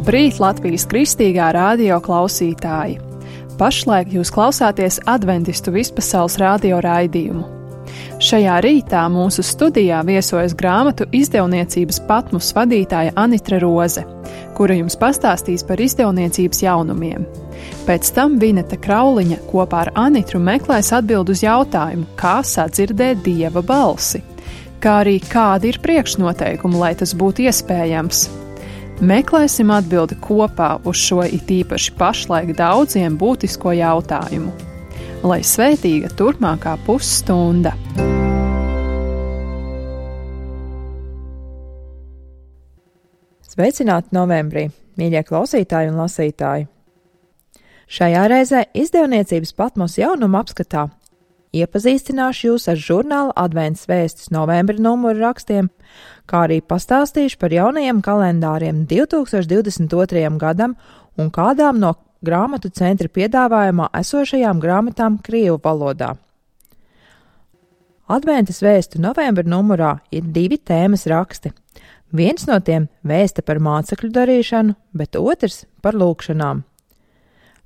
Labrīt, Latvijas kristīgā radio klausītāji! Pašlaik jūs klausāties Adventistu vispasaules radio raidījumu. Šajā rītā mūsu studijā viesojas grāmatu izdevniecības Patmos vadītāja Anitra Roze, kura jums pastāstīs par izdevniecības jaunumiem. Pēc tam Vineta Krauliņa kopā ar Anitru meklēs atbild uz jautājumu, kā sadzirdēt Dieva balsi, kā arī kādi ir priekšnoteikumi, lai tas būtu iespējams. Meklēsim atbildi kopā uz šo it īpaši pašlaik daudziem būtisko jautājumu. Lai svētīga turpmākā pusstunda! Sveicināti novembrī, mīļie klausītāji un lasītāji! Šajā reizē izdevniecības Patmos jaunuma apskatā iepazīstināšu jūs ar žurnāla Advents vēstis novembra numuru rakstiem, kā arī pastāstīšu par jaunajiem kalendāriem 2022. gadam un kādām no grāmatu centra piedāvājumā esošajām grāmatām krievu valodā. Adventas vēstu novembra numurā ir 2 tēmas raksti. Viens no tiem vēsta par mācekļu darīšanu, bet otrs par lūgšanām.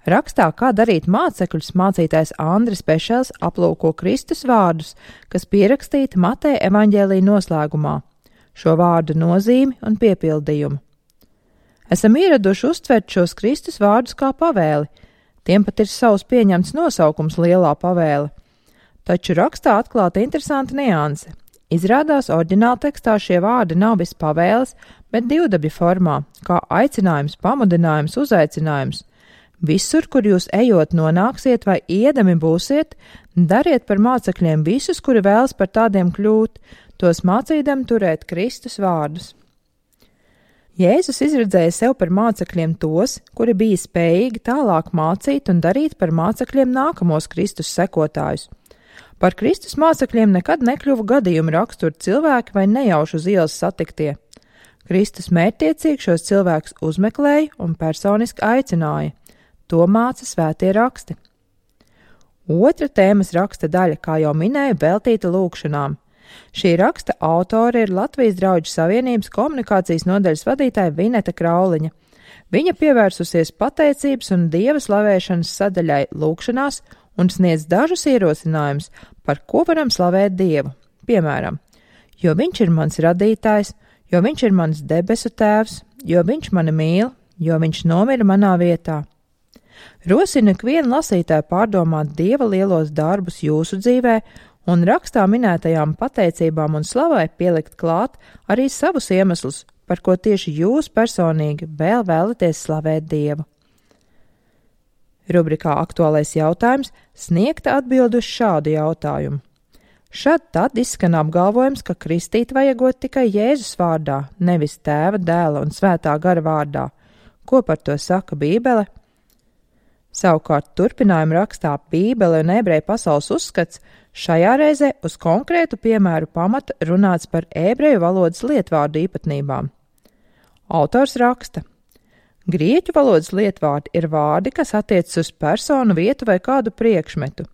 Rakstā, kā darīt mācekļus, mācītājs Andris Pešels aplūko Kristus vārdus, kas pierakstīti Mateja evaņģēlija noslēgumā, šo vārdu nozīmi un piepildījumu. Esam ieraduši uztvert šos Kristus vārdus kā pavēli, tiem pat ir savs pieņemts nosaukums lielā pavēle. Taču rakstā atklāta interesanta nianse. Izrādās oriģināla tekstā šie vārdi nav bez pavēles, bet divdabļu formā, kā aicinājums, pamudinājums, uzaicinājums. Visur, kur jūs ejot nonāksiet vai iedami būsiet, dariet par mācekļiem visus, kuri vēlas par tādiem kļūt, tos mācīdami turēt Kristus vārdus. Jēzus izredzēja sev par mācekļiem tos, kuri bija spējīgi tālāk mācīt un darīt par mācekļiem nākamos Kristus sekotājus. Par Kristus mācekļiem nekad nekļuva gadījuma rakstura cilvēki vai nejauši uz ielas satiktie. Kristus mērķtiecīgi šos cilvēkus uzmeklēja un personiski aicināja. To māca svētie raksti. Otra tēmas raksta daļa, kā jau minēju, veltīta lūgšanām. Šī raksta autore ir Latvijas Drauģu savienības komunikācijas nodaļas vadītāja Vineta Krauliņa. Viņa pievērsusies pateicības un dieva slavēšanas sadaļai lūgšanās un sniedz dažus ierosinājumus, par ko varam slavēt Dievu. Piemēram, jo viņš ir mans radītājs, jo viņš ir mans debesu tēvs, jo viņš mani mīl, jo viņš nomira manā vietā. Rosinu ikvienu lasītāju pārdomāt Dieva lielos darbus jūsu dzīvē un rakstā minētajām pateicībām un slavai pielikt klāt arī savus iemeslus, par ko tieši jūs personīgi vēl vēlaties slavēt Dievu. Rubrikā Aktuālais jautājums sniegta atbildi uz šādu jautājumu. Šad tad izskan apgalvojums, ka kristīt vajagot tikai Jēzus vārdā, nevis Tēva, Dēla un Svētā gara vārdā. Ko par to saka Bībele? Savukārt turpinājuma rakstā Bībele un ebreju pasaules uzskats šajā reizē uz konkrētu piemēru pamata runāts par ebreju valodas lietvārdu īpatnībām. Autors raksta: Grieķu valodas lietvārdi ir vārdi, kas attiecas uz personu, vietu vai kādu priekšmetu.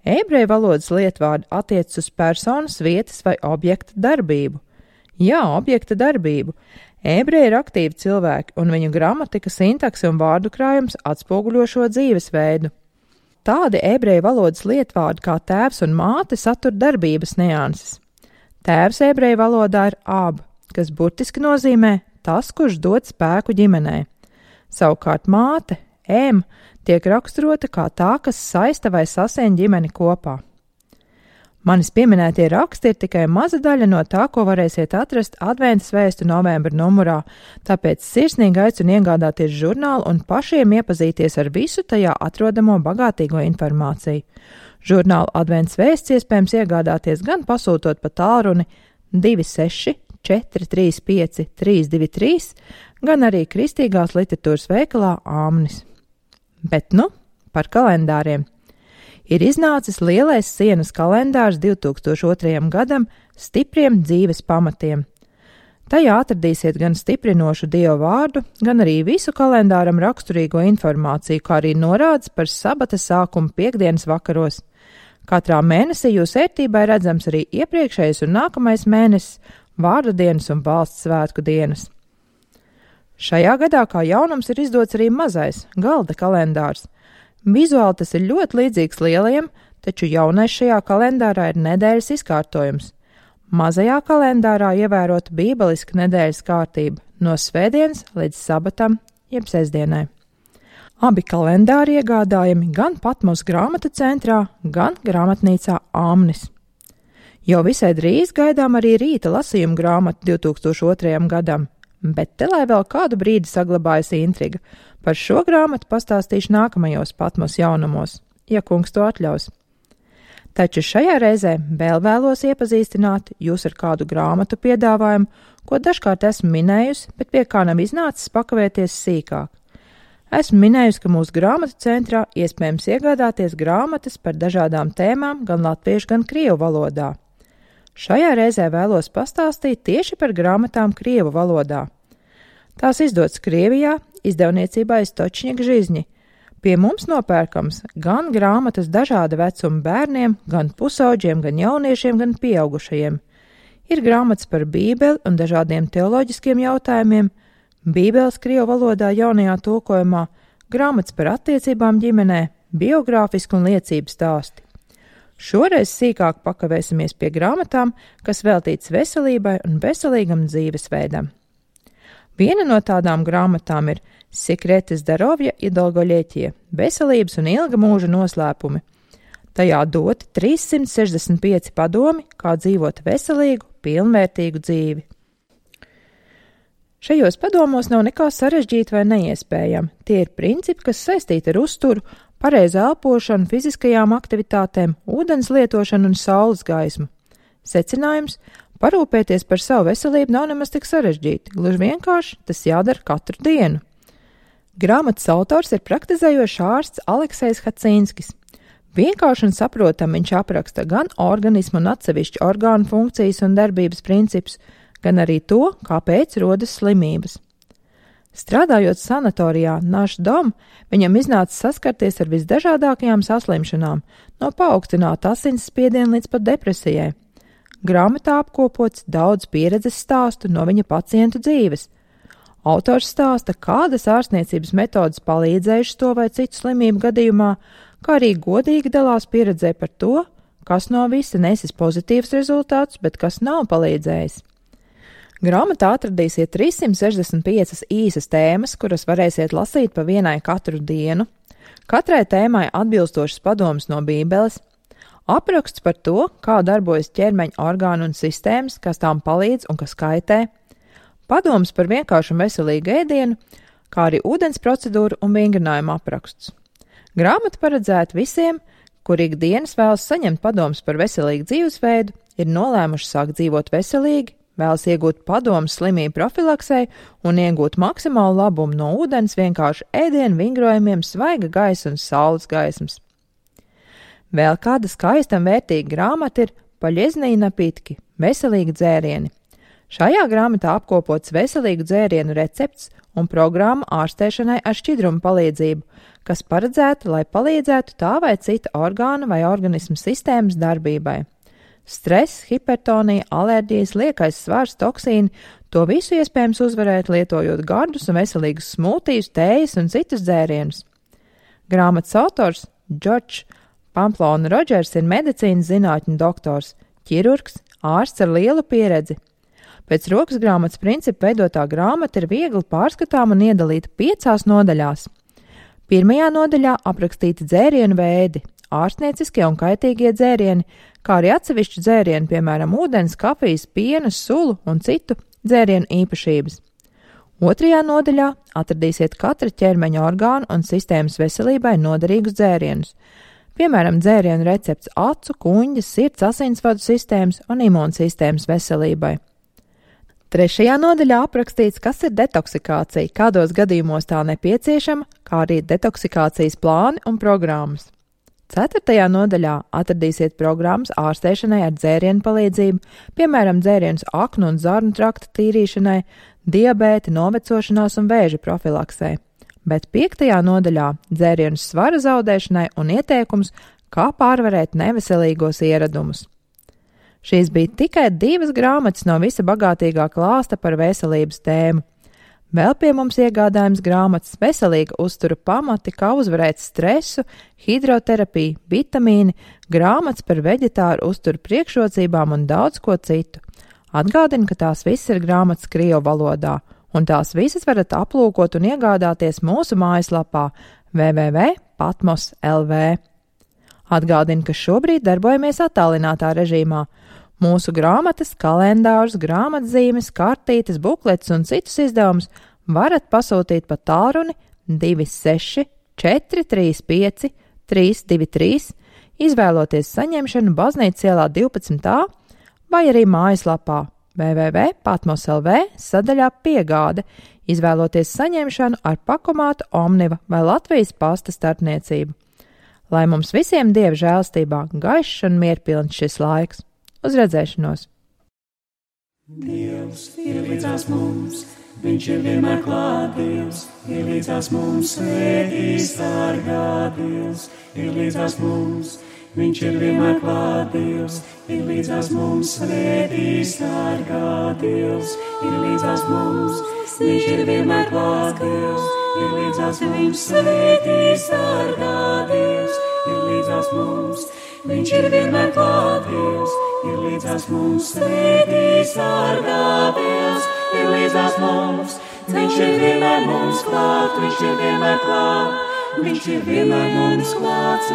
Ebreju valodas lietvārdi attiecas uz personas, vietas vai objekta darbību. Jā, objekta darbību. Ebreji ir aktīvi cilvēki, un viņu gramatika, sintakse un vārdu krājums atspoguļo šo dzīvesveidu. Tādi ebreju valodas lietvārdi kā tēvs un māte satur darbības nianses. Tēvs ebreju valodā ir ab, kas burtiski nozīmē tas, kurš dod spēku ģimenei. Savukārt māte, tiek raksturota kā tā, kas saista vai sasien ģimeni kopā. Manis pieminētie raksti ir tikai maza daļa no tā, ko varēsiet atrast Adventas vēstu novembra numurā, tāpēc sirsnīgi aicinu iegādāties žurnālu un pašiem iepazīties ar visu tajā atrodamo bagātīgo informāciju. Žurnālu Adventas vēsts iespējams iegādāties gan pasūtot pa tālruni 26 435 323, gan arī kristīgās literatūras veikalā Āmnis. Bet par kalendāriem. Ir iznācis lielais sienas kalendārs 2002. gadam stipriem dzīves pamatiem. Tajā atradīsiet gan stiprinošu Dieva vārdu, gan arī visu kalendāram raksturīgo informāciju, kā arī norādes par sabata sākumu piektdienas vakaros. Katrā mēnesī jūs ērtībā ir redzams arī iepriekšējais un nākamais mēnesis, vārdu dienas un valsts svētku dienas. Šajā gadā kā jaunums ir izdots arī mazais galda kalendārs. Vizuāli tas ir ļoti līdzīgs lielajam, taču jaunais šajā kalendārā ir nedēļas izkārtojums. Mazajā kalendārā ievērota bībeliska nedēļas kārtība no svētdienas līdz sabatam, jeb sestdienai. Abi kalendāri iegādājami gan Patmos grāmatu centrā, gan grāmatnīcā Āmnis. Jau visai drīz gaidām arī rīta lasījuma grāmatu 2002. gadam, bet te lai vēl kādu brīdi saglabājas intriga. Par šo grāmatu pastāstīšu nākamajos Patmos jaunumos, ja kungs to atļaus. Taču šajā reizē vēl vēlos iepazīstināt jūs ar kādu grāmatu piedāvājumu, ko dažkārt esmu minējusi, bet pie kā nav iznācis pakavēties sīkāk. Esmu minējusi, ka mūsu grāmatu centrā iespējams iegādāties grāmatas par dažādām tēmām gan latviešu, gan krievu valodā. Šajā reizē vēlos pastāstīt tieši par grāmatām krievu valodā. Tās izdotas Krievijā, izdevniecībā Istočņika Žižņi. Pie mums nopērkams gan grāmatas dažāda vecuma bērniem, gan pusauģiem, gan jauniešiem, gan pieaugušajiem. Ir grāmatas par Bībeli un dažādiem teoloģiskiem jautājumiem, Bībeles krievu valodā jaunajā tulkojumā, grāmatas par attiecībām ģimenē, biogrāfiski un liecības stāsti. Šoreiz sīkāk pakavēsimies pie grāmatām, kas veltīts veselībai un veselīgam dzīvesveidam. Viena no tādām grāmatām ir Sekreti Zdarovja i Dolgoļieķie – veselības un ilga mūža noslēpumi. Tajā doti 365 padomi, kā dzīvot veselīgu, pilnvērtīgu dzīvi. Šajos padomos nav nekā sarežģīta vai neiespējama. Tie ir principi, kas saistīti ar uzturu, pareizu elpošanu, fiziskajām aktivitātēm, ūdens lietošanu un saules gaismu. Secinājums – parūpēties par savu veselību nav nemaz tik sarežģīti, gluži vienkārši tas jādara katru dienu. Grāmatas autors ir praktizējošs ārsts Aleksejs Hacīnskis. Vienkārši un saprotam viņš apraksta gan organismu un atsevišķu orgānu funkcijas un darbības principus, gan arī to, kāpēc rodas slimības. Strādājot sanatorijā Našdom, viņam iznāca saskarties ar visdažādākajām saslimšanām, no paaugstināta asinsspiediena līdz pat depresijai. Grāmatā apkopots daudz pieredzes stāstu no viņa pacientu dzīves. Autors stāsta, kādas ārstniecības metodas palīdzējušas to vai citu slimību gadījumā, kā arī godīgi dalās pieredzē par to, kas no visa nesis pozitīvs rezultāts, bet kas nav palīdzējis. Grāmatā atradīsiet 365 īsas tēmas, kuras varēsiet lasīt pa vienai katru dienu, katrai tēmai atbilstošas padomas no Bībeles, apraksts par to, kā darbojas ķermeņa orgānu un sistēmas, kas tām palīdz un kas kaitē, padomas par vienkāršu un veselīgu ēdienu, kā arī ūdens procedūru un vingrinājumu apraksts. Grāmata paredzēta visiem, kuri ikdienas vēlas saņemt padomas par veselīgu dzīvesveidu, ir nolēmuši sākt dzīvot veselīgi, vēlas iegūt padomus slimību profilaksei un iegūt maksimālu labumu no ūdens, vienkārši ēdienu, vingrojumiem, svaiga gaisa un saules gaismas. Vēl kāda skaista un vērtīga grāmata ir Paļeznī napitki – veselīgi dzērieni. Šajā grāmatā apkopots veselīgu dzērienu recepts un programma ārstēšanai ar šķidrumu palīdzību, kas paredzēta, lai palīdzētu tā vai cita orgāna vai organismu sistēmas darbībai. Stress, hipertonija, alerģijas, liekais svars, toksīni – to visu iespējams uzvarēt, lietojot gardus un veselīgus smūtijus, tējas un citus dzērienus. Grāmatas autors Džordžs Pamplona Rodžers ir medicīnas zinātņu doktors, ķirurgs, ārsts ar lielu pieredzi. Pēc rokas grāmatas principu veidotā grāmata ir viegli pārskatām un iedalīta 5 nodaļās. Pirmajā nodaļā aprakstīti dzērienu veidi, ārstnieciskie un kaitīgie dzērieni, kā arī atsevišķi dzērieni, piemēram, ūdens, kafijas, piena, sulu un citu dzērienu īpašības. Otrajā nodaļā atradīsiet katra ķermeņa orgānu un sistēmas veselībai noderīgus dzērienus, piemēram, dzērienu recepts acu, kuņģa, sirds, asinsvadu sistēmas un imūnsistēmas veselībai. Trešajā nodaļā aprakstīts, kas ir detoksikācija, kādos gadījumos tā nepieciešama, kā arī detoksikācijas plāni un programmas. 4. nodaļā atradīsiet programmas ārstēšanai ar dzērienu palīdzību, piemēram, dzērienus aknu un zarnu trakta tīrīšanai, diabēta, novecošanās un vēža profilaksē. Bet 5. nodaļā dzērienus svara zaudēšanai un ieteikums, kā pārvarēt neveselīgos ieradumus. Šīs bija tikai 2 grāmatas no visa bagātīgā klāsta par veselības tēmu. Vēl pie mums iegādājums grāmatas Veselīga uztura pamati, kā uzvarēt stresu, hidroterapiju, vitamīni, grāmatas par veģetāru uzturu priekšrocībām un daudz ko citu. Atgādinu, ka tās visas ir grāmatas krievu valodā, un tās visas varat aplūkot un iegādāties mūsu mājaslapā www.patmos.lv. Atgādinu, ka šobrīd darbojamies attālinātā režīmā. Mūsu grāmatas, kalendārus, grāmatzīmes, kartītes, buklets un citus izdevumus varat pasūtīt pa tālruni 26 435 323, izvēloties saņemšanu Baznīcas ielā 12a vai arī mājaslapā www.patmos.lv sadaļā piegāde, izvēloties saņemšanu ar pakomātu Omniva vai Latvijas pasta starpniecību. Lai mums visiem Dieva žēlstībā gaišs un mierpilns šis laiks. Uz redzēšanos! Dievs ir līdzās mums, viņš ir vienmēr klāt, Dievs ir līdzās mums, svētī sargā, Dievs ir līdzās mums, viņš ir vienmēr klāt, Dievs ir līdzās mums, svētī sargā, Dievs ir līdzās mums, viņš ir vienmēr klāt, Dievs ir līdzās mums, svētī sargā, Dievs ir līdzās mums, viņš ir vienmēr klāt, Dievs ir līdzās mums, svētī sargā, Dievs ir līdzās mums, viņš ir vienmēr mums klāt, viņš ir vienmēr klāt, viņš ir vienmēr mums klāt,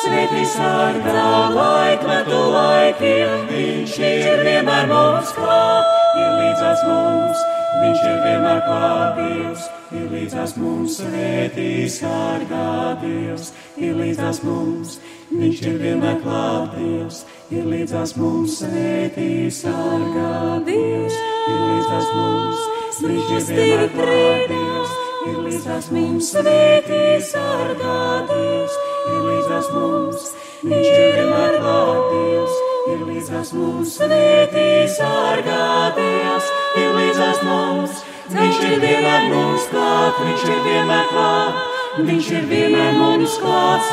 svētī sargā, laikmetu laikiem, viņš ir vienmēr mums klāt, ir līdzās mums, viņš ir vienmēr klāt, Dievs ir līdzās mums, svētī sargā, Dievs ir līdzās mums, viņš ir vienmēr klāt, Dievs ir līdzās mums, svētī sargā, Dievs ir līdzās mums, viņš ir vienmēr klāt, Dievs ir līdzās mums, svētī sargā, Dievs ir līdzās mums, viņš ir vienmēr klāt, Dievs ir līdzās mums, svētī sargā, Dievs ir līdzās mums, viņš ir vienmēr mums klāt, viņš ir vienmēr klāt, viņš ir vienmēr mums klāt,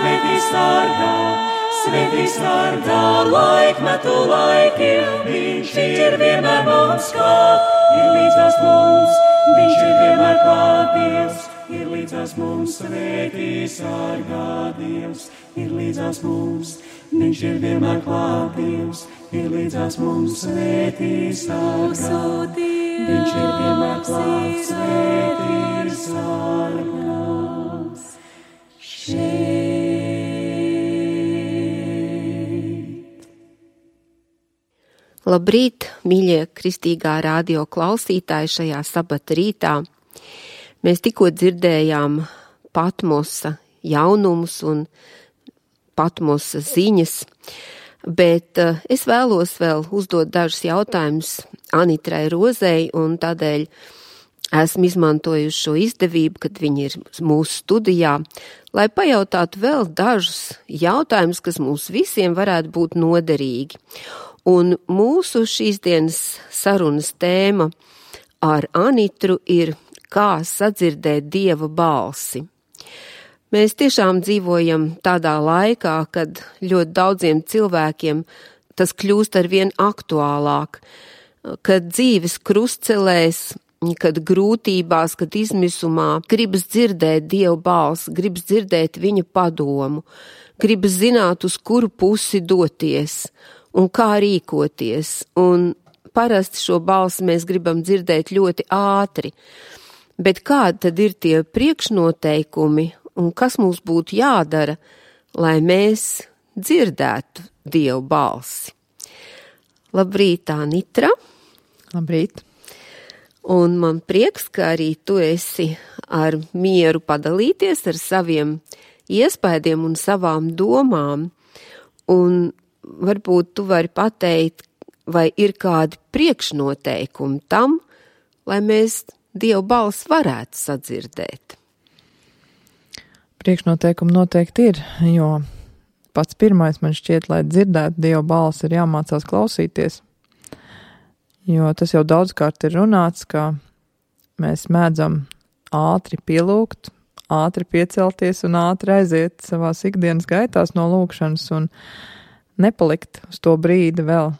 svētī sargā, laikmetu laikiem, viņš ir vienmēr mums klāt, ir līdzās mums, viņš ir vienmēr klāt, Dievs ir līdzās mums, svētī sargā, Dievs ir līdzās mums, viņš ir vienmēr klāt, Dievs ir līdzās mums, svētī sargā, viņš ir vienmēr klāt, svētī sargās šeit. Labrīt, mīļie kristīgā radio klausītāji šajā sabata rītā. Mēs tikko dzirdējām Patmosa jaunumus un Patmosa ziņas, bet es vēlos vēl uzdot dažus jautājumus Anitrai Rozei, un tādēļ esmu izmantojuši šo izdevību, kad viņi ir mūsu studijā, lai pajautātu vēl dažus jautājumus, kas mums visiem varētu būt noderīgi. Un mūsu šīs dienas sarunas tēma ar Anitru ir kā sadzirdēt Dieva balsi. Mēs tiešām dzīvojam tādā laikā, kad ļoti daudziem cilvēkiem tas kļūst arvien aktuālāk, kad dzīves krustcelēs, kad grūtībās, kad izmisumā gribas dzirdēt Dieva balsi, gribas dzirdēt viņa padomu, gribas zināt, uz kuru pusi doties un kā rīkoties. Un parasti šo balsi mēs gribam dzirdēt ļoti ātri. Bet kādi tad ir tie priekšnoteikumi un kas mums būtu jādara, lai mēs dzirdētu Dieva balsi? Labrīt, Anitra! Labrīt! Un man prieks, ka arī tu esi ar mieru padalīties ar saviem iespējiem un savām domām. Un varbūt tu vari pateikt, vai ir kādi priekšnoteikumi tam, lai mēs Dieva balsi varētu sadzirdēt. Priekšnoteikumi noteikti ir, jo pats pirmais man šķiet, lai dzirdētu Dieva balsi, ir jāmācās klausīties. Jo tas jau daudzkārt ir runāts, ka mēs mēdzam ātri pielūgt, ātri piecelties un ātri aiziet savās ikdienas gaitās no lūgšanas un nepalikt uz to brīdi vēl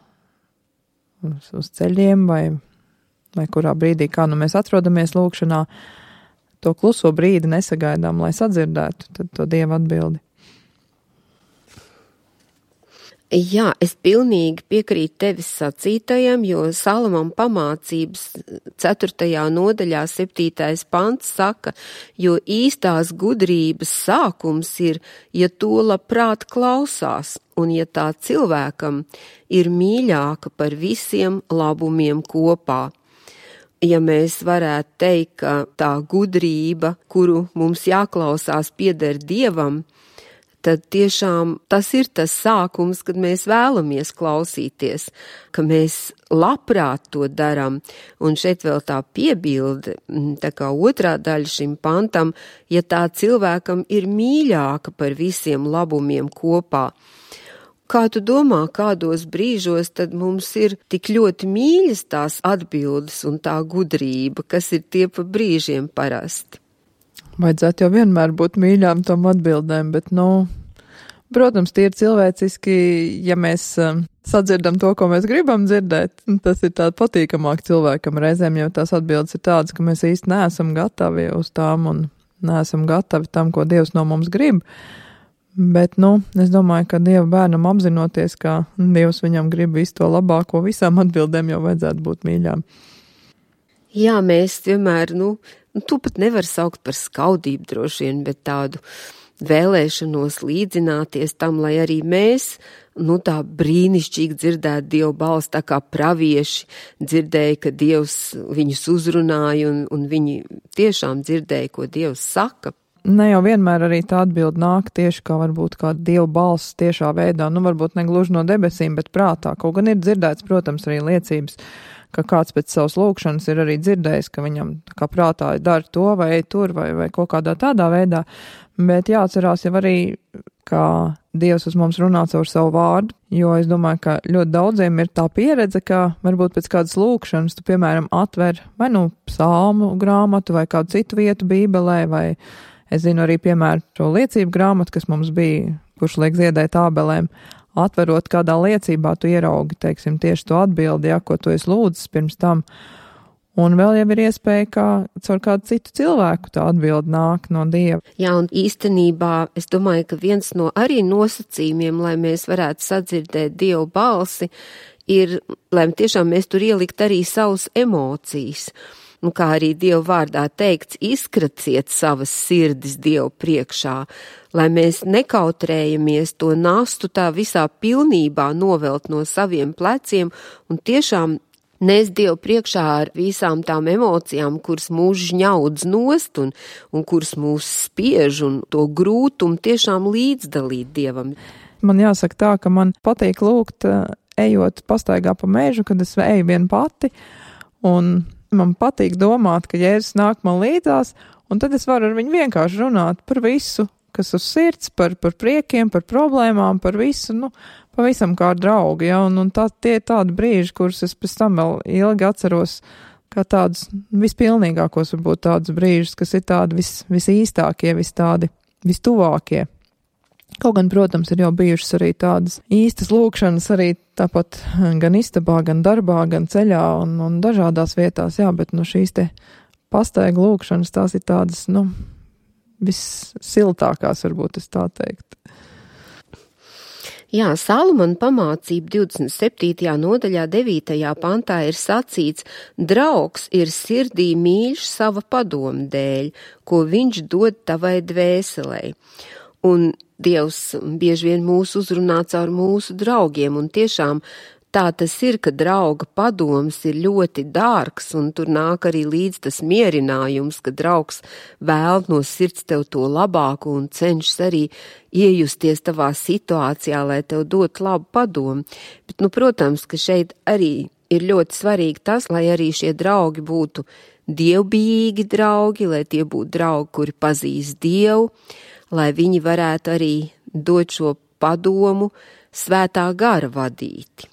uz ceļiem vai vai kurā brīdī, kā nu mēs atrodamies lūkšanā, to kluso brīdi nesagaidām, lai sadzirdētu tad to Dieva atbildi. Jā, es pilnīgi piekrītu tevis sacītajam, jo Salamam pamācības 4. nodaļā 7. pants saka, jo īstās gudrības sākums ir, ja to labprāt klausās, un ja tā cilvēkam ir mīļāka par visiem labumiem kopā. Ja mēs varētu teikt, ka tā gudrība, kuru mums jāklausās, pieder Dievam, tad tiešām tas ir tas sākums, kad mēs vēlamies klausīties, ka mēs labprāt to daram. Un šeit vēl tā piebilde, tā kā otrā daļa šim pantam, ja tā cilvēkam ir mīļāka par visiem labumiem kopā. Kā tu domā, kādos brīžos tad mums ir tik ļoti mīļas tās atbildes un tā gudrība, kas ir tie pa brīžiem parasti? Vajadzētu jau vienmēr būt mīļām tom atbildēm, bet, protams, tie ir cilvēciski, ja mēs sadzirdam to, ko mēs gribam dzirdēt, tas ir tāda patīkamāk cilvēkam reizēm, jo tās atbildes ir tādas, ka mēs īsti neesam gatavi uz tām un neesam gatavi tam, ko Dievs no mums grib. Bet, es domāju, ka Dieva bērnam apzinoties, ka Dievs viņam grib visu to labāko, visām atbildēm jau vajadzētu būt mīļām. Jā, mēs vienmēr, tu pat nevar saukt par skaudību droši vien, bet tādu vēlēšanos līdzināties tam, lai arī mēs, tā brīnišķīgi dzirdētu Dieva balsi, tā kā pravieši dzirdēja, ka Dievs viņus uzrunāja un viņi tiešām dzirdēja, ko Dievs saka. Ne jau vienmēr arī tā atbilde nāk tieši kā varbūt kā Dieva balss tiešā veidā, varbūt ne gluži no debesīm, bet prātā. Kaut gan ir dzirdēts, protams, arī liecības, ka kāds pēc savas lūkšanas ir arī dzirdējis, ka viņam kā prātā dara to vai ej tur vai kaut kādā tādā veidā, bet jāatcerās jau arī, ka Dievs uz mums runā caur savu vārdu, jo es domāju, ka ļoti daudziem ir tā pieredze, ka varbūt pēc kādas lūkšanas tu, piemēram, atver vai psalmu grāmatu vai kādu citu vietu bībelē, vai es zinu arī, piemēram, to liecību grāmatu, kas mums bija, kurš liek ziedēt ābelēm. Atverot kādā liecībā, tu ieraugi, teiksim, tieši to atbildi, ko tu esi lūdzis pirms tam. Un vēl jau ir iespēja, ka caur kādu citu cilvēku tā atbildi nāk no Dieva. Jā, un īstenībā es domāju, ka viens no arī nosacījumiem, lai mēs varētu sadzirdēt Dieva balsi, ir, lai tiešām mēs tur ielikt arī savus emocijas. Un kā arī Dieva vārdā teikts, izkraciet savas sirdis Dievu priekšā, lai mēs nekautrējamies to nastu tā visā pilnībā novelt no saviem pleciem un tiešām nes Dievu priekšā ar visām tām emocijām, kuras mūs žņaudz nost un kuras mūs spiež un to grūtumu tiešām līdzdalīt Dievam. Man jāsaka tā, ka man patīk lūgt, ejot pastaigā pa mežu, kad es eju vien pati, un man patīk domāt, ka Jēzus nāk man līdzās, un tad es varu ar viņu vienkārši runāt par visu, kas uz sirds, par priekiem, par problēmām, par visu, pavisam kā draugi, un tie ir tādi brīži, kurus es pēc tam vēl ilgi atceros, kā tādus vispilnīgākos, varbūt tādus brīžus, kas ir tādi visīstākie, vistuvākie. Kaut gan, protams, ir jau bijušas arī tādas īstas lūkšanas, arī tāpat gan istabā, gan darbā, gan ceļā un dažādās vietās, bet šīs te pastaigu lūkšanas, tās ir tādas, vissiltākās, varbūt es tā teikt. Jā, Salamana pamācība 27. nodaļā 9. pantā ir sacīts, draugs ir sirdī mīļš sava padoma dēļ, ko viņš dod tavai dvēselei. Un Dievs bieži vien mūs uzrunā caur mūsu draugiem, un tiešām tā tas ir, ka drauga padoms ir ļoti dārgs, un tur nāk arī līdz tas mierinājums, ka draugs vēl no sirds tev to labāku un cenšas arī iejusties tavā situācijā, lai tev dot labu padomu. Bet, protams, ka šeit arī ir ļoti svarīgi tas, lai arī šie draugi būtu dievbijīgi draugi, lai tie būtu draugi, kuri pazīst Dievu, lai viņi varētu arī dot šo padomu svētā gara vadīti.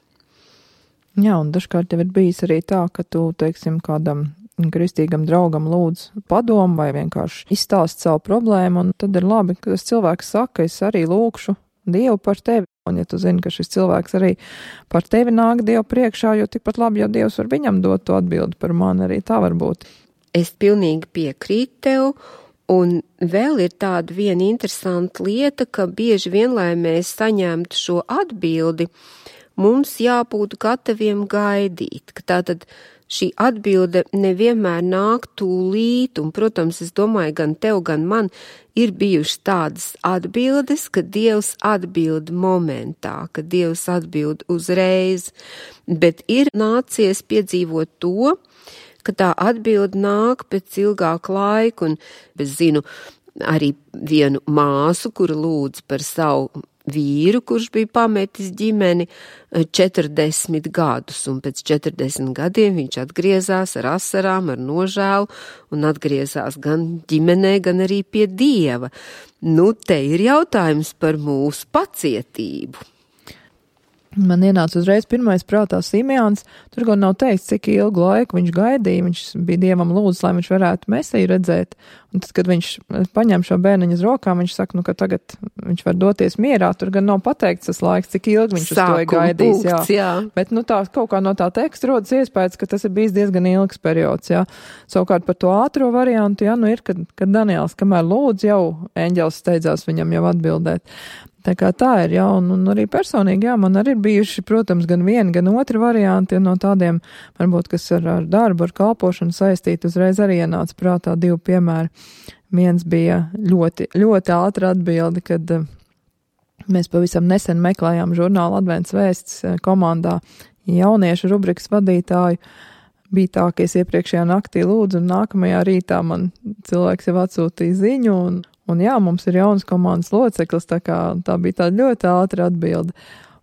Jā, un dažkārt jau ir bijis arī tā, ka tu, teiksim, kādam kristīgam draugam lūdz padomu vai vienkārši izstāst savu problēmu, un tad ir labi, ka tas cilvēks saka, es arī lūkšu Dievu par tevi. Un ja tu zini, ka šis cilvēks arī par tevi nāk Dievu priekšā, jo tikpat labi, ja Dievs var viņam dot to atbildi par mani, arī tā var būt. Es pilnīgi piekrītu tev, un vēl ir tāda viena interesanta lieta, ka bieži vien, lai mēs saņemtu šo atbildi, mums jābūt gataviem gaidīt, ka tātad šī atbilde nevienmēr nāk tūlīt, un, protams, es domāju, gan tev, gan man ir bijušas tādas atbildes, ka Dievs atbild momentā, ka Dievs atbild uzreiz, bet ir nācies piedzīvot to, ka tā atbilde nāk pēc ilgāka laika, un es zinu arī vienu māsu, kura lūdz par savu vīru, kurš bija pametis ģimeni 40 gadus, un pēc 40 gadiem viņš atgriezās ar asarām, ar nožēlu, un atgriezās gan ģimenē, gan arī pie Dieva. Nu, te ir jautājums par mūsu pacietību. Man ienāca uzreiz pirmais prātā Simeons, tur gan nav teikts, cik ilgu laiku viņš gaidīja, viņš bija Dievam lūdzis, lai viņš varētu Mesiju redzēt, un tad, kad viņš paņem šo bērniņu uz rokām, viņš saka, ka tagad viņš var doties mierā, tur gan nav pateikts tas laiks, cik ilgi viņš uz to ir gaidījis, jā. Bet, tā, kaut kā no tā teksta rodas iespējas, ka tas ir bijis diezgan ilgs periods, jā. Savukārt par to ātro variantu, jā, ir, kad Daniels, kamēr lūdz, jau eņģelis steidzās viņam jau atbildēt. Tā kā tā ir, jā, un arī personīgi, jā, man arī ir bijuši, protams, gan viena, gan otra varianti, un no tādiem, varbūt, kas ar darbu, ar kalpošanu saistīti, uzreiz arī ienāca prātā 2 piemēri. Viens bija ļoti, ļoti ātra atbildi, kad mēs pavisam nesen meklējām žurnālu Advents vēsts komandā jauniešu rubrikas vadītāju. Bija tā, ka es iepriekšējā naktī lūdzu, un nākamajā rītā man cilvēks jau atsūtīja ziņu, un jā, mums ir jauns komandas loceklis, tā bija tāda ļoti ātra atbilde.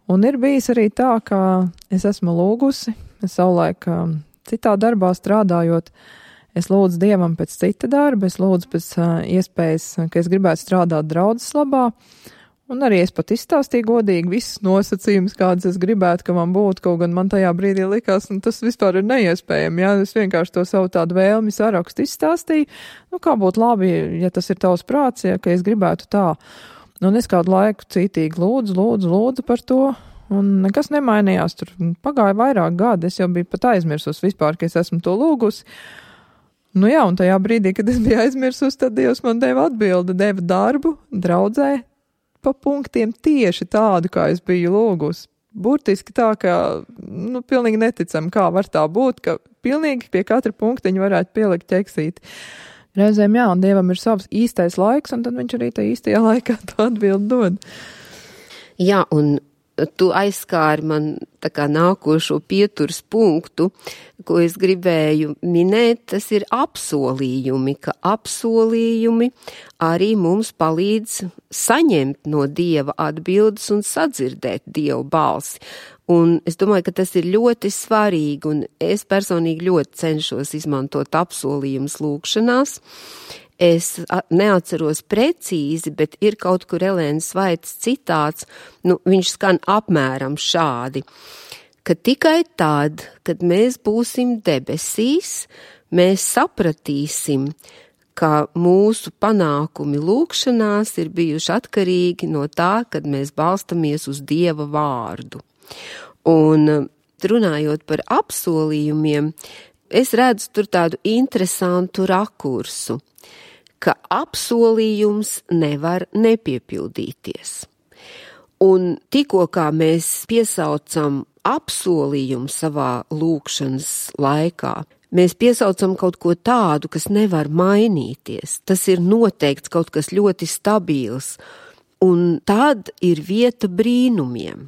Un ir bijis arī tā, ka es esmu lūgusi, es savulaik citā darbā strādājot, es lūdzu Dievam pēc cita darba, es lūdzu pēc iespējas, ka es gribētu strādāt draudzes labā, un arī es pat izstāstīju godīgi visas nosacījumus, kādas es gribētu, ka man būtu, kaut gan man tajā brīdī likās, tas vispār ir neiespējami, jā, es vienkārši to savu tādu vēlmi sarakstu izstāstīju, kā būtu labi, ja tas ir tavs prāts, ja, ka es gribētu tā. Un es kādu laiku cītīgi lūdzu par to, un nekas nemainījās, tur pagāja vairāk gadi, es jau biju pat aizmirsus vispār, ka es esmu to lūgusi. Jā, un tajā brīdī, kad es biju aizmirsus, tad Dievs man deva atbildi, deva darbu, draudzē, pa punktiem tieši tādu, kā es biju lūgus. Burtiski tā, ka, pilnīgi neticam, kā var tā būt, ka pilnīgi pie katra punktiņa varētu pielikt ķeksīti. Reizēm, jā, un Dievam ir savs īstais laiks, un tad viņš arī tajā īstajā laikā to atbildi dod. Jā, un tu aizskāri man tā kā nākošo pieturas punktu, ko es gribēju minēt, tas ir apsolījumi, ka apsolījumi arī mums palīdz saņemt no Dieva atbildes un sadzirdēt Dievu balsi. Un es domāju, ka tas ir ļoti svarīgi, un es personīgi ļoti cenšos izmantot apsolījumus lūkšanās. Es neatceros precīzi, bet ir kaut kur Elēnas Vaitas citāts, viņš skan apmēram šādi, ka tikai tad, kad mēs būsim debesīs, mēs sapratīsim, ka mūsu panākumi lūkšanās ir bijuši atkarīgi no tā, kad mēs balstamies uz Dieva vārdu. Un runājot par apsolījumiem, es redzu tur tādu interesantu rakursu, ka apsolījums nevar nepiepildīties. Un tikko kā mēs piesaucam apsolījumu savā lūkšanas laikā, mēs piesaucam kaut ko tādu, kas nevar mainīties. Tas ir noteikts kaut kas ļoti stabils, un tad ir vieta brīnumiem.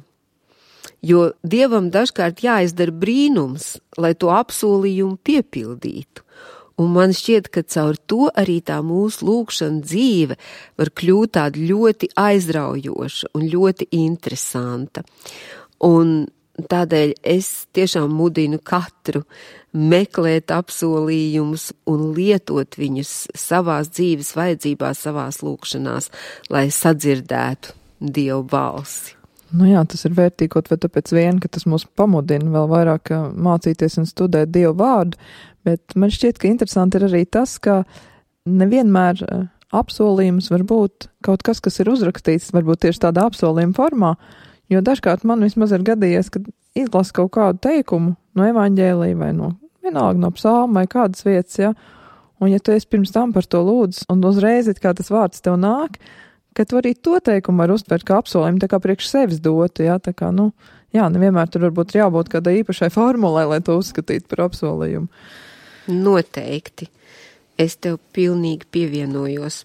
Jo Dievam dažkārt jāizdara brīnums, lai to apsolījumu piepildītu. Un man šķiet, ka caur to arī tā mūsu lūkšana dzīve var kļūt tāda ļoti aizraujoša un ļoti interesanta. Un tādēļ es tiešām mudinu katru meklēt apsolījumus un lietot viņus savās dzīves vajadzībās, savās lūkšanās, lai sadzirdētu Dievu balsi. Jā, tas ir vērtīgi, kaut vai tāpēc vien, ka tas mūs pamudina vēl vairāk mācīties un studēt Dievu vārdu, bet man šķiet, ka interesanti ir arī tas, ka nevienmēr apsolījums var būt kaut kas, kas ir uzrakstīts, varbūt tieši tādā apsolījuma formā, Jo dažkārt man vismaz ir gadījies, kad izlasu kaut kādu teikumu no evaņģēlija vai vienalga no psalma vai kādas vietas, ja, un ja tu esi pirms tam par to lūdzu, un uzreiz it kā tas vārds tev nāk, ka tu arī to teikumu var uztvert kā apsolījumu, tā kā priekš sevis dotu, ja, tā kā, nevienmēr tur varbūt jābūt kādai īpašai formulai, lai to uzskatītu par apsolījumu. Noteikti. Es tev pilnīgi pievienojos.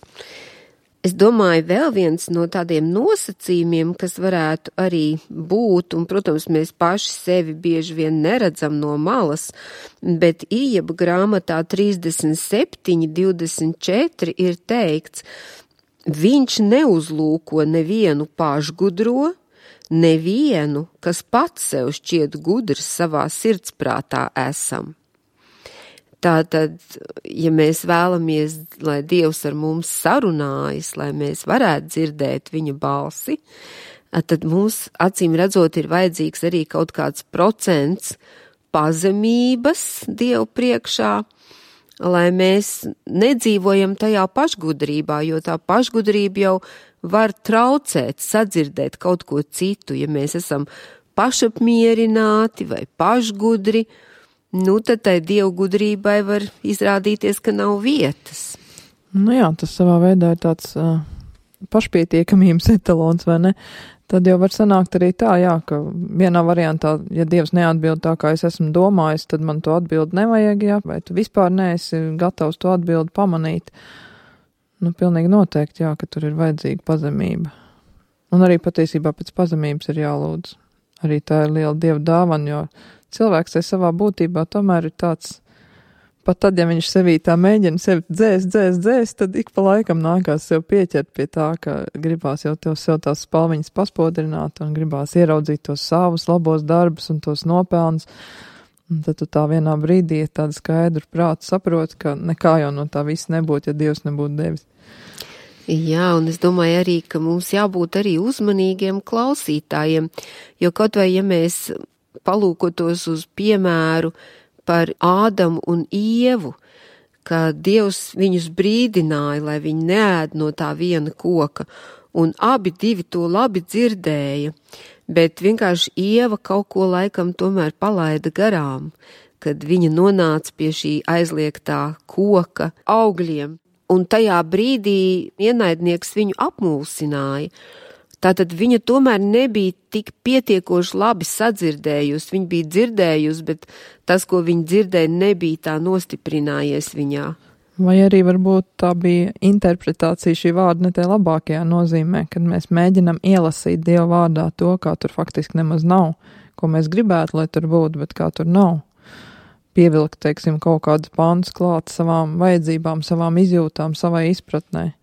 Es domāju, vēl viens no tādiem nosacījumiem, kas varētu arī būt, un, protams, mēs paši sevi bieži vien neredzam no malas, bet Ijaba grāmatā 37:24 ir teikts, viņš neuzlūko nevienu pašgudro, nevienu, kas pats sev šķiet gudrs savā sirdsprātā esam. Tātad, ja mēs vēlamies, lai Dievs ar mums sarunājas, lai mēs varētu dzirdēt viņa balsi, tad mums, acīm redzot, ir vajadzīgs arī kaut kāds procents pazemības Dievu priekšā, lai mēs nedzīvojam tajā pašgudrībā, jo tā pašgudrība jau var traucēt, sadzirdēt kaut ko citu, ja mēs esam pašapmierināti vai pašgudri, tad tai Dievu gudrībai var izrādīties, ka nav vietas. Jā, tas savā veidā ir tāds pašpietiekamības etalons, vai ne? Tad jau var sanākt arī tā, ka vienā variantā, ja Dievs neatbild tā, kā es esmu domājis, tad man to atbildi nevajag, vai tu vispār neesi gatavs to atbildi pamanīt. Pilnīgi noteikti, ka tur ir vajadzīga pazemība. Un arī patiesībā pēc pazemības ir jālūdz. Arī tā ir liela Dieva dāvana, jo cilvēks savā būtībā tomēr ir tāds, pat tad, ja viņš sevī tā mēģina sevi dzēst, tad ik pa laikam nākās sev pieķert pie tā, ka gribās jau sev tās spalviņas paspodrināt un gribās ieraudzīt tos savus labos darbus un tos nopelnus. Un tad tu tā vienā brīdī tādu skaidru prātu saproti, ka nekā jau no tā viss nebūtu, ja Dievs nebūtu devis. Jā, un es domāju arī, ka mums jābūt arī uzmanīgiem klausītājiem, jo kaut vai, ja mēs palūkotos uz piemēru par Ādamu un Ievu, ka Dievs viņus brīdināja, lai viņi neēd no tā viena koka, un abi divi to labi dzirdēja, bet vienkārši Ieva kaut ko laikam tomēr palaida garām, kad viņa nonāca pie šī aizliegtā koka augļiem, un tajā brīdī ienaidnieks viņu apmulsināja. Tātad viņa tomēr nebija tik pietiekoši labi sadzirdējusi, viņa bija dzirdējusi, bet tas, ko viņa dzirdēja, nebija tā nostiprinājies viņā. Vai arī varbūt tā bija interpretācija šī vārda ne tajā labākajā nozīmē, kad mēs mēģinam ielasīt Dieva vārdā to, kā tur faktiski nemaz nav, ko mēs gribētu, lai tur būtu, bet kā tur nav. Pievilkt, teiksim, kaut kādus pāntus klāt savām vajadzībām, savām izjūtām, savai izpratnē.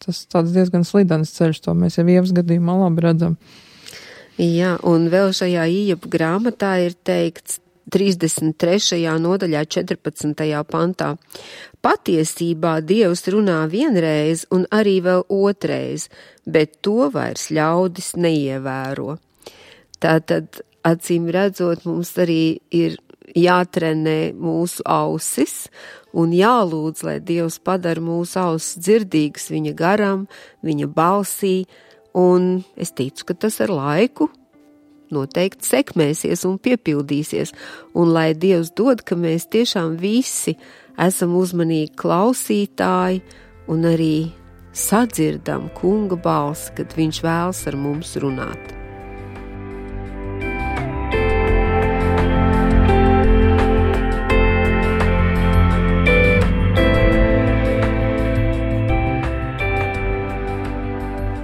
Tas tāds diezgan slidens ceļš, to mēs jau Ievas gadījumā labi redzam. Jā, un vēl šajā Ijaba grāmatā ir teikts 33. nodaļā 14. pantā. Patiesībā Dievs runā vienreiz un arī vēl otreiz, bet to vairs ļaudis neievēro. Tātad, acīm redzot, mums arī ir jātrenē mūsu ausis un jālūdz, lai Dievs padara mūsu ausis dzirdīgas viņa garam, viņa balsī, un es ticu, ka tas ar laiku noteikti sekmēsies un piepildīsies, un lai Dievs dod, ka mēs tiešām visi esam uzmanīgi klausītāji un arī sadzirdam kunga balsi, kad viņš vēlas ar mums runāt.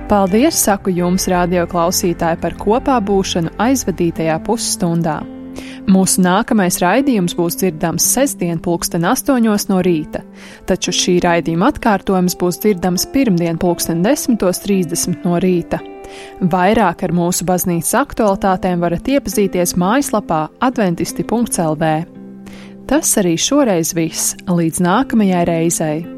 Paldies, saku jums, radio klausītāji, par kopā būšanu aizvadītajā pusstundā. Mūsu nākamais raidījums būs dzirdams sestdien 8:00 no rīta, taču šī raidījuma atkārtojums būs dzirdams pirmdien 10:30 no rīta. Vairāk ar mūsu baznīcas aktualitātēm varat iepazīties mājaslapā adventisti.lv. Tas arī šoreiz viss, līdz nākamajai reizei.